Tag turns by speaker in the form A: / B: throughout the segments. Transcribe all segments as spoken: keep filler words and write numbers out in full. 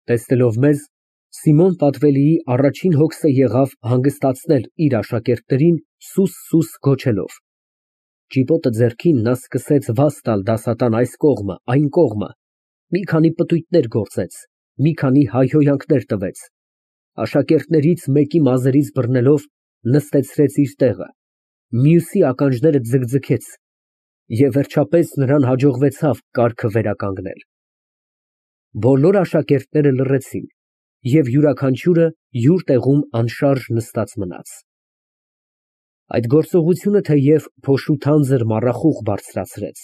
A: Տեսնելով մեզ, Սիմոն Պատվելիի առաջին հոգսը եղավ հանգստացնել իր աշակերտներին սուս֊սուս գոչելով։ Ճիպոտը ձեռքին նա սկսեց վազ տալ դասատան այս կողմը, այն կողմը, մի քանի պտույտներ գործեց, մի քանի հայհոյանքներ տվեց, աշակերտներից մեկի մազերից բռնելով նստեցրեց իր տեղը, մյուսի ականջները ձգձգեց և վերջապես նրան հաջողվեցավ կառքը վերականգնել։ Բոլոր աշակերտները լռեցին և յուրաքանչյուրը յուր տեղում անշարժ նստած մնաց։ Այդ գործողությունը թեև փոշու թանձր մառախուղ բարձրացրեց,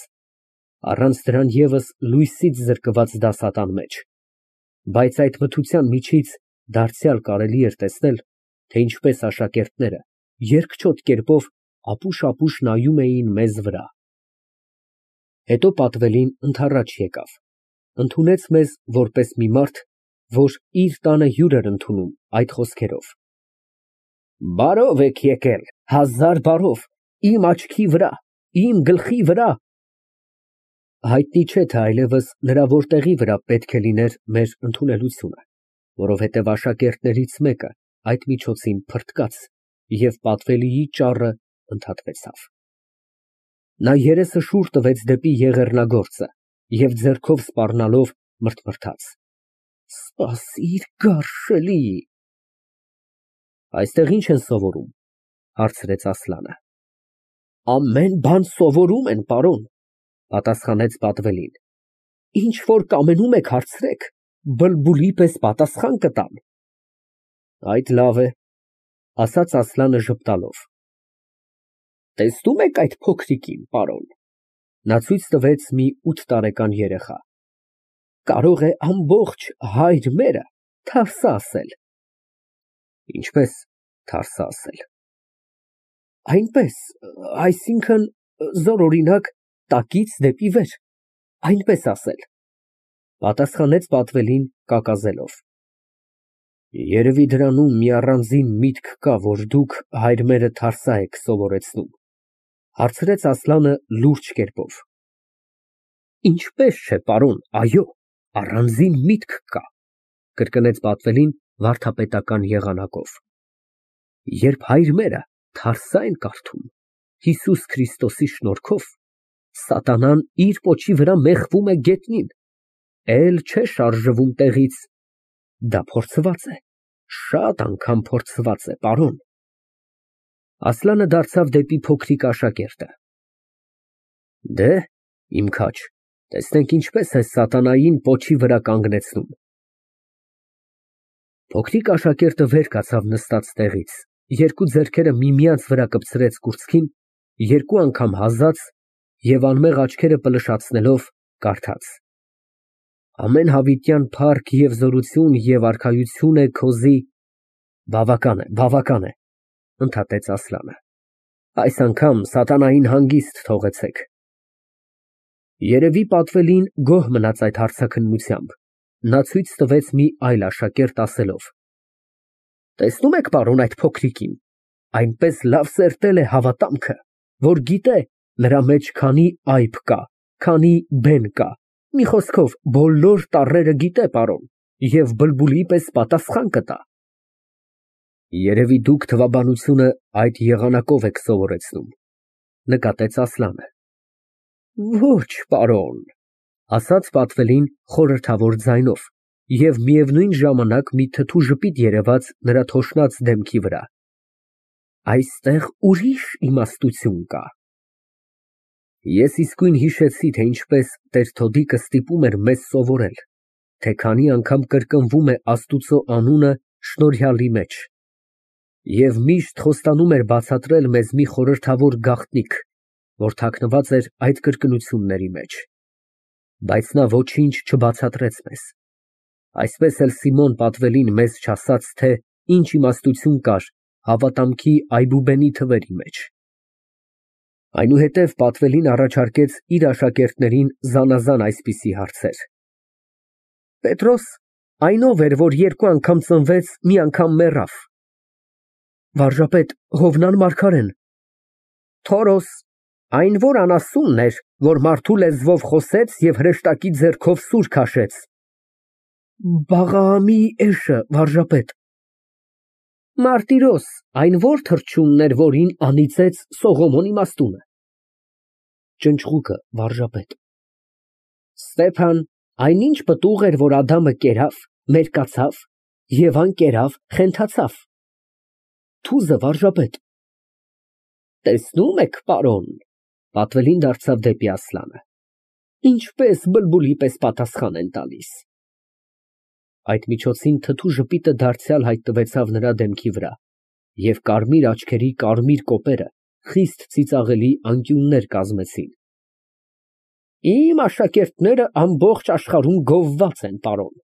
A: առանց դրան ևս լույսից զրկված դասատան մեջ, բայց այդ մթության միջից դարձյալ կարելի էր տեսնել, թե ինչպես աշակերտները երկչոտ կերպով ապուշ֊ապուշ նայում էին մեզ վրա։ Հետո Պատվելին ընդառաջ եկավ, ընդունեց մեզ որպես մի մարդ, որ իր տանը հյուր էր ընդունում, այդ խոսքերով. Բարով եք եկել, հազար բարով, իմ աչքի վրա, իմ գլխի վրա։ Հայտնի չէ, թե այլևս նրա որտեղի վրա պետք է լիներ մեր ընդունելությունը, որովհետև աշակերտներից մեկը այդ միջոցին փրկաց, և Պատվելիի ճառը ընդհատվեցավ։ Նա երեսը շուռ տվեց դեպի եղեռնագործը և ձեռքով սպառնալով մռթմռթաց. Սպասիր, գարշելի։ Այստեղ ի՞նչ են սովորում, հարցրեց Ասլանը։ Ամեն բան սովորում են, պարոն, պատասխանեց Պատվելին, ինչ որ կամենում եք հարցրեք, բլբուլի պես պատասխան կտամ։ Այդ լավ է, ասաց Ասլանը ժպտալով։ Տեսնում եք այդ փոքրիկին, պարոն։ Նա ցույց տվեց մի ութ տարեկան երեխա։ Կարող է ամբողջ հայր մերը թավսա ասել։ Ինչպես թարսա ասել։ Այնպես, այսինքն, զորօրինակ, տակից դեպի վեր, այնպես ասել, պատասխանեց Պատվելին կակազելով։ Երևի դրանում մի առանձին միտք կա, որ դուք հայր մերը թարսա եք սովորեցնում, հարցրեց Ասլանը լուրջ կերպով։ Ինչպես չէ, պարոն, այո, առանձին միտք կա, կրկնեց Պատվելին վարդապետական եղանակով։ Երբ հայր մերը թարսա են կարդում Հիսուս Քրիստոսի շնորհքով, սատանան իր պոչի վրա մեխվում է գետնին, էլ չէ շարժվում տեղից, դա փորձված է, շատ անգամ փորձված է, պարոն։ Ասլանը դարձավ դեպի փոքրիկ աշակերտը։ Դե, իմ քաջ, տեսնենք ինչպես է սատանային պոչի վրա կանգնեցնում։ Փոքրիկ աշակերտը վեր կացավ նստած տեղից, երկու ձեռքերը միմյանց վրա կպցրեց կուրծքին, երկու անգամ հազաց և անմեղ աչքերը պլշացնելով կարդաց. Ամեն հավիտյան փառք և զորություն և արքայություն է քոզի։ Բավական է, բավական է, ընդհատեց Ասլանը, այս անգամ սատանային հանգիստ թողեցեք։ Երևի Պատվելին գոհ մնաց այդ հարցաքննությամբ, նա ցույց տվեց մի այլ աշակերտ ասելով. Տեսնում եք, պարոն, այդ փոքրիկին, այնպես լավ սերտել է հավատամքը, որ գիտե նրա մեջ քանի այբ կա, քանի բեն կա, մի խոսքով, բոլոր տառերը գիտե, պարոն, և բլբուլի պես պատասխան կտա։ Երևի դուք թվաբանությունը այդ եղանակով եք սովորեցնում, նկատեց Ասլանը։ Ոչ, պարոն, ասաց Պատվելին խորհրդավոր ձայնով, և միևնույն ժամանակ մի թթու ժպիտ երևաց նրա թոշնած դեմքի վրա։ Այստեղ ուրիշ իմաստություն կա։ Ես իսկույն հիշեցի, թե ինչպես տեր Թոդիկը ստիպում էր մեզ սովորել, թե քանի անգամ կրկնվում է Աստուծո անունը շնորհյալի մեջ, և միշտ խոստանում էր բացատրել մեզ մի խորհրդավոր գաղտնիք, որ թաքնված էր այդ կրկնությունների մեջ, բայց նա ոչինչ չբացատրեց մեզ։ Այսպես էլ Սիմոն Պատվելին մեզ չասաց, թե ինչ իմաստություն կար հավատամքի այբուբենի թվերի մեջ։ Այնուհետև Պատվելին առաջարկեց իր աշակերտներին զանազան այսպիսի հարցեր. Պետրոս այն ով էր, որ երկու անգամ ծնվեց, մի անգամ մեռավ։ Վարժապետ Հովնան Մարգարեն։ Թորոս այն որ անասունն էր, որ մարդու լեզվով խոսեց և հրեշտակի ձեռքով սուր քաշեց։ Բաղաամի էշը, վարժապետ։ Մարտիրոս, այն ո՞ր թռչունն էր, որին անիծեց Սողոմոն իմաստունը։ Ճնճղուկը, վարժապետ։ Ստեփան, այնինչ պտուղ էր, որ Ադամը կերավ, մերկացավ, Եվան կերավ, խենթացավ։ Թուզը, վարժապետ։ Տեսնում եք, պարոն, պատվելին դարձավ դեպի Ասլանը, ինչպես բլբուլի պես պատասխան են տալիս։ Այդ միջոցին թթու ժպիտը դարձյալ հայտնվեցավ նրա դեմքի վրա, և կարմիր աչքերի կարմիր կոպերը խիստ ծիծաղելի անկյուններ կազմեցին։ Իմ աշակերտները ամբողջ աշխարհում գովված են, պարոն։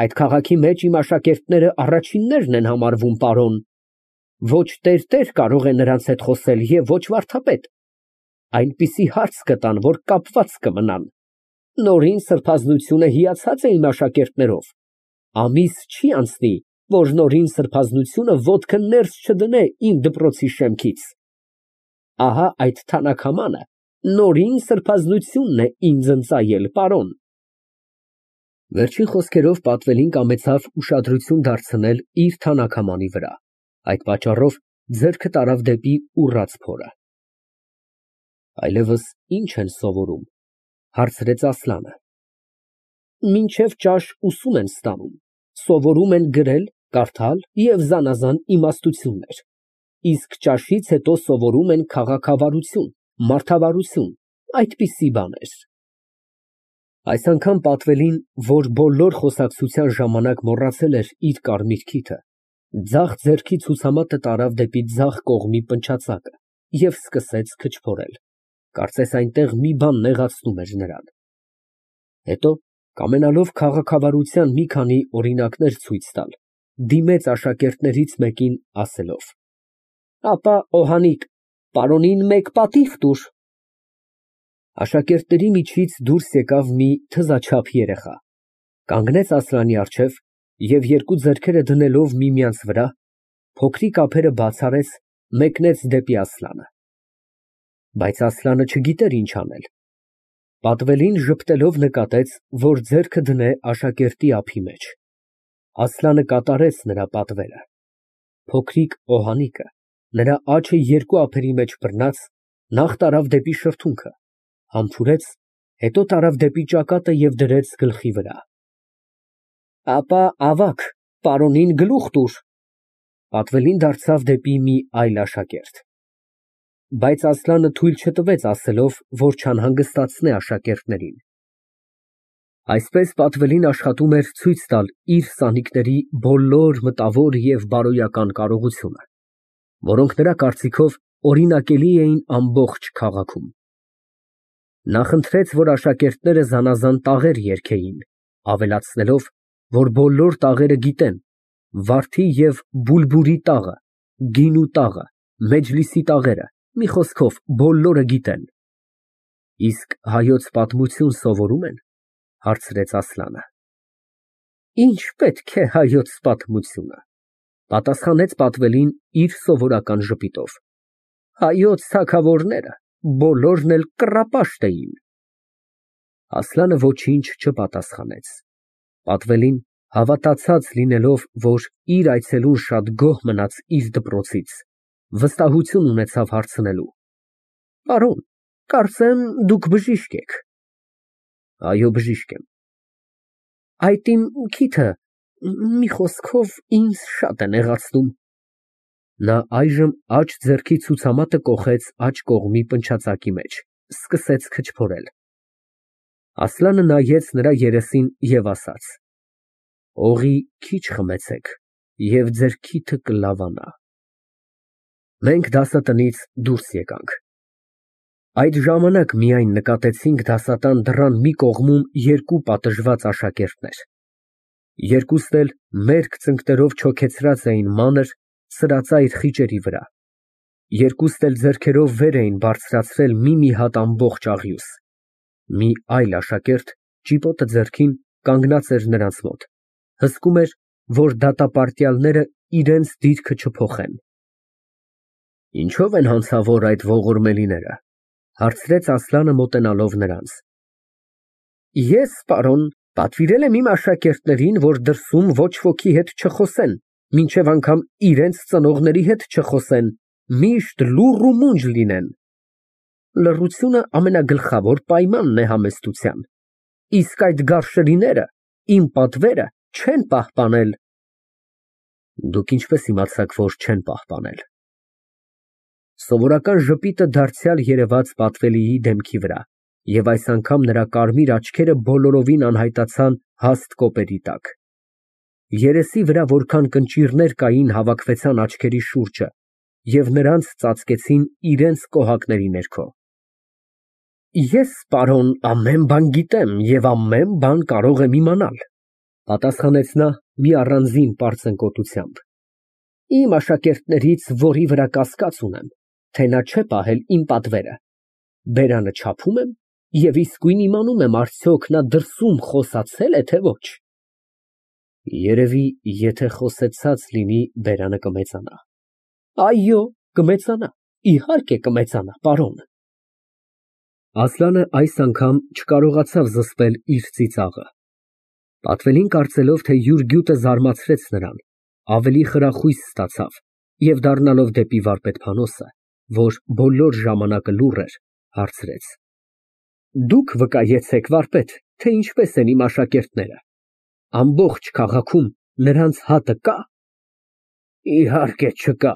A: Այդ քաղաքի մեջ իմ աշակերտները առաջիններն են համարվում, պարոն։ Ոչ տերտեր կարող է նրանց հետ խոսել և ոչ վարդապետ։ Այնպիսի հարց կտան, որ կապված կմնան։ Նորին սրբազնությունը հիացած է իմ աշակերտներով։ Ամիս չի անցնի, որ նորին սրբազնությունը ոտքը ներս չդնե իմ դպրոցի շեմքից։ Ահա այդ թանաքամանը նորին սրբազնությունն է ինձ ընծայել, պարոն։ Վերջին խոսքերով պատվելին կամեցավ ուշադրություն դարձնել իր թանաքամանի վրա, այդ պատճառով ձեռքը տարավ դեպի ուռած փորը։ Այլևս ի՞նչ են սովորում, հարցրեց Ասլանը։ Մինչև ճաշ ուսում են ստանում, սովորում են գրել, կարդալ և զանազան իմաստություններ, իսկ ճաշից հետո սովորում են քաղաքավարություն, մարդավարություն, այդպիսի բաներ։ Այս անգամ պատվելին, որ բոլոր խոսակցության ժամանակ մոռացել էր իր կարմիր քիթը, ձախ ձեռքի ցուցամատը տարավ դեպի ձախ կողմի փնչացակը և սկսեց քչփորել, կարծես այնտեղ մի բան նեղացնում էր նրան։ Հետո, կամենալով քաղաքավարության մի քանի օրինակներ ցույց տալ, դիմեց աշակերտներից մեկին, ասելով. Ապա, օհանիկ, պարոնին մեկ պատիվ տուր։ Աշակերտների միջից դուրս եկավ մի թզաչափ երեխա, կանգնեց Ասլանի առջև և երկու ձեռքերը դնելով միմյանց վրա, փոքրիկ ափերը բաց արեց, մեկնեց դեպի Ասլանը։ Բայց Ասլանը չգիտեր ինչ անել։ Պատվելին ժպտելով նկատեց, որ ձեռքը դնե աշակերտի ափի մեջ։ Ասլանը կատարեց նրա պատվերը։ Փոքրիկ օհանիկը, նրա աջը երկու ափերի մեջ բռնած, նախ տարավ դեպի շրթունքը, համբուրեց, հետո տարավ դեպի ճակատը և դրեց գլխի վրա։ Ապա, ավագ, պարոնին գլուխ տուր։ Պատվելին դարձավ դեպի մի այլ աշակերտ։ Բայց Ասլանը թույլ չտվեց, ասելով, որ չանհանգստացնե աշակերտներին։ Այսպես պատվելին աշխատում էր ցույց տալ իր սանիկների բոլոր մտավոր և բարոյական կարողությունը, որոնք նրա կարծիքով օրինակելի էին ամբողջ քաղաքում։ Նա խնդրեց, որ աշակերտները զանազան տաղեր երգեին, ավելացնելով, որ բոլոր տաղերը գիտեն, վարդի և բուլբուրի տաղը, գինու տաղը, մեջլիսի տաղերը, մի խոսքով, բոլորը գիտեն։ Իսկ հայոց պատմություն սովորում են, հարցրեց Ասլանը։ Ինչ պետք է հայոց պատմությունը, պատասխանեց պատվելին իր սովորական ժպիտով։ Հայոց թագավորները բոլորն էլ կռապաշտ էին։ Ասլանը ոչինչ չպատասխանեց։ Պատվելին, հավատացած լինելով, որ իր այցելուն շատ գոհ մնաց իր դպրոցից, վստահություն ունեցավ հարցնելու. Պարոն, կարծեմ, դուք բժիշկ եք։ Այո, բժիշկ եմ։ Այդ իմ քիթը, մի խոսքով, ինձ շատ է նեղացնում։ Նա այժմ աջ ձեռքի ցուցամատը կոխեց աջ կողմի փնչացակի մեջ, սկսեց քչփորել։ Ասլանը նայեց նրա երեսին և ասաց. Օղի քիչ խմեցեք, և ձեր քիթը կլավանա։ Մենք դասատնից դուրս եկանք։ Այդ ժամանակ միայն նկատեցինք դասատան դռան մի կողմում երկու պատժված աշակերտներ։ Երկուսն էլ մերկ ծնկներով չոքեցրած էին մանր, սրածայր խիճերի վրա։ Երկուսն էլ ձեռքերով վեր էին բարձրացրել մի֊մի հատ ամբողջ աղյուս։ Մի այլ աշակերտ, ճիպոտը ձեռքին, կանգնած էր նրանց մոտ, հսկում էր, որ դատապարտյալները իրենց դիրքը չփոխեն։ Ինչո՞վ են հանցավոր այդ ողորմելիները, հարցրեց Ասլանը մոտենալով նրանց։ Ես, պարոն, Պատվիրել եմ իմ աշակերտներին, որ դրսում ոչ ոքի հետ չխոսեն, մինչև անգամ իրենց ծնողների հետ չխոսեն, միշտ լուռ ու մունջ լինեն։ Լռությունը ամենագլխավոր պայմանն է համեստության, իսկ այդ գարշելիները իմ պատվերը չեն պահպանել։ Դուք ինչպես իմացաք, որ չեն պահպանել։ Սովորական ժպիտը դարձյալ երևաց Պատվելիի դեմքի վրա, և այս անգամ նրա կարմիր աչքերը բոլորովին անհայտացան հաստ կոպերի տակ։ Երեսի վրա որքան կնճիռներ կային, հավաքվեցան աչքերի շուրջը և նրանց ծածկեցին իրենց կոհակների ներքո։ Ես, պարոն, ամեն բան գիտեմ և ամեն բան կարող եմ իմանալ, պատասխանեց նա մի առանձին պարծենկոտությամբ։ Իմ աշակերտներից որի վրա կասկած ունեմ, թե նա չէ պահել իմ պատվերը, բերանը չափում եմ և իսկույն իմանում եմ արդյոք նա դրսում խոսացե՞լ է, թե ոչ։ Երևի, եթե խոսեցած լինի, բերանը կմեծանա։ Այո, կմեծանա, իհարկե կմեծանա, պարոն։ Ասլանը այս անգամ չկարողացավ զսպել իր ծիծաղը։ Պատվելին կարծելով, թե յուր գյուտը զարմացրեց նրան, ավելի խրախույս ստացավ և դառնալով դեպի վարպետ֊փանոսը, որ բոլոր ժամանակը լուռ էր, հարցրեց. Դուք վկայեցեք, վարպետ, թե ինչպես են իմ աշակերտները, ամբողջ քաղաքում նրանց հատը կա։ Իհարկե չկա,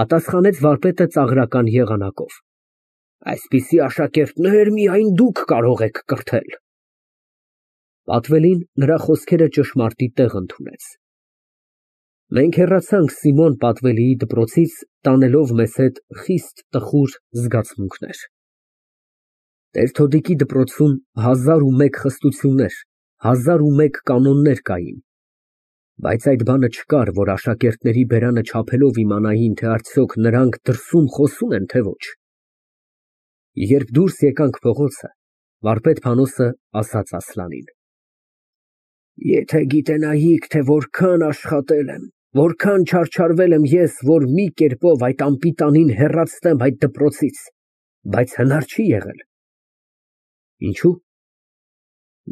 A: պատասխանեց վարպետը ծաղրական եղանակով, այսպիսի աշակերտներ միայն դուք կարող եք կրթել։ Պատվելին նրա խոսքերը ճշմարտի տեղ ընդունեց։ Մենք հեռացանք Սիմոն Պատվելիի դպրոցից, տանելով մեզ հետ խիստ տխուր զգացմունքներ։ Տեր֊Թոդիկի դպրոցում հազար ու մեկ խստություններ, հազար ու մեկ կանոններ կային, բայց այդ բանը չկար, որ աշակերտների բերանը չափելով իմանային, թե արդյոք նրանք դրսում խոսում են, թե ոչ։ Երբ դուրս եկանք փողոցը, վարպետ֊փանոսը ասաց Ասլանին. Եթե գիտենայիք, թե որքան աշխատել եմ, որքան չարչարվել եմ ես, որ մի կերպով այդ անպիտանին հեռացնեմ այդ դպրոցից, բայց հնար չի եղել։ Ինչո՞ւ։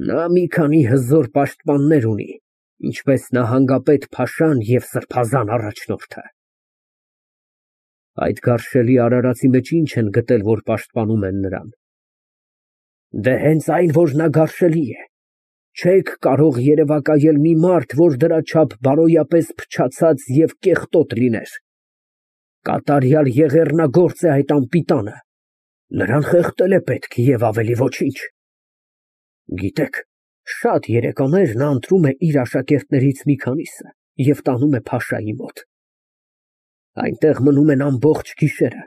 A: Նա մի քանի հզոր պաշտպաններ ունի, ինչպես նահանգապետ Փաշան և սրբազան առաջնորդը։ Այդ գարշելի արարածի մեջ ինչ են գտել, որ պաշտպանում են նրան։ Դե հենց այն, որ նա գարշելի է։ Չեք կարող երևակայել մի մարդ, որ դրա չափ բարոյապես փչացած և կեղտոտ լիներ։ Կատարյալ եղեռնագործ է այդ անպիտանը, նրան խեղդել է պետք և ավելի ոչինչ։ Գիտեք, շատ երեկաներ նա ընտրում է իր աշակերտներից մի քանիսը և տանում է Փաշայի մոտ։ Այնտեղ մնում են ամբողջ գիշերը,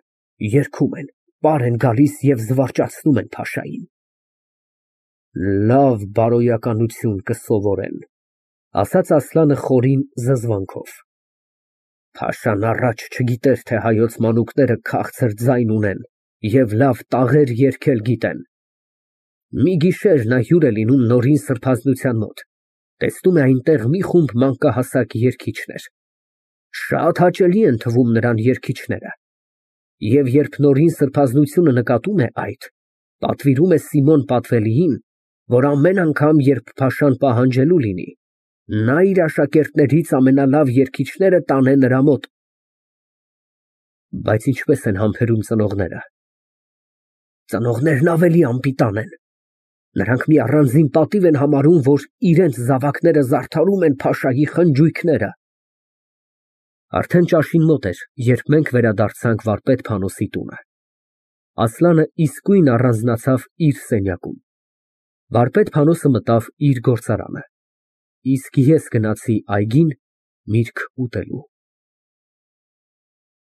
A: երգում են, պար են գալիս և զվարճացնում են Փաշային։ Լավ բարոյականություն կսովորեն, ասաց Ասլանը խորին զզվանքով։ Փաշան առաջ չգիտեր, թե հայոց մանուկները քաղցր ձայն ունեն և լավ տաղեր երգել գիտեն։ Մի գիշեր նա հյուր է լինում Նորին սրբազանության մոտ, տեսնում է այնտեղ մի խումբ մանկահասակ երգիչներ։ Շատ հաճելի են թվում նրան երգիչները։ Եվ երբ Նորին սրբազանությունը նկատում է այդ, պատվիրում է Սիմոն Պատվելիին, որ ամեն անգամ, երբ Փաշան պահանջելու լինի, նա իր աշակերտներից ամենալավ երգիչները տանե նրա մոտ։ Բայց ինչպես են համբերում ծնողները։ Ծնողներն ավելի անպիտան են։ Նրանք մի առանձին պատիվ են համարում, որ իրենց զավակները զարդարում են Փաշայի խնջույքները։ Արդեն ճաշին մոտ էր, երբ մենք վերադարձանք վարպետ֊փանոսի տունը։ Ասլանը իսկույն առանձնացավ իր սենյակում։ Վարպետ֊փանոսը մտավ իր գործարանը, իսկ ես գնացի այգին միրգ ուտելու։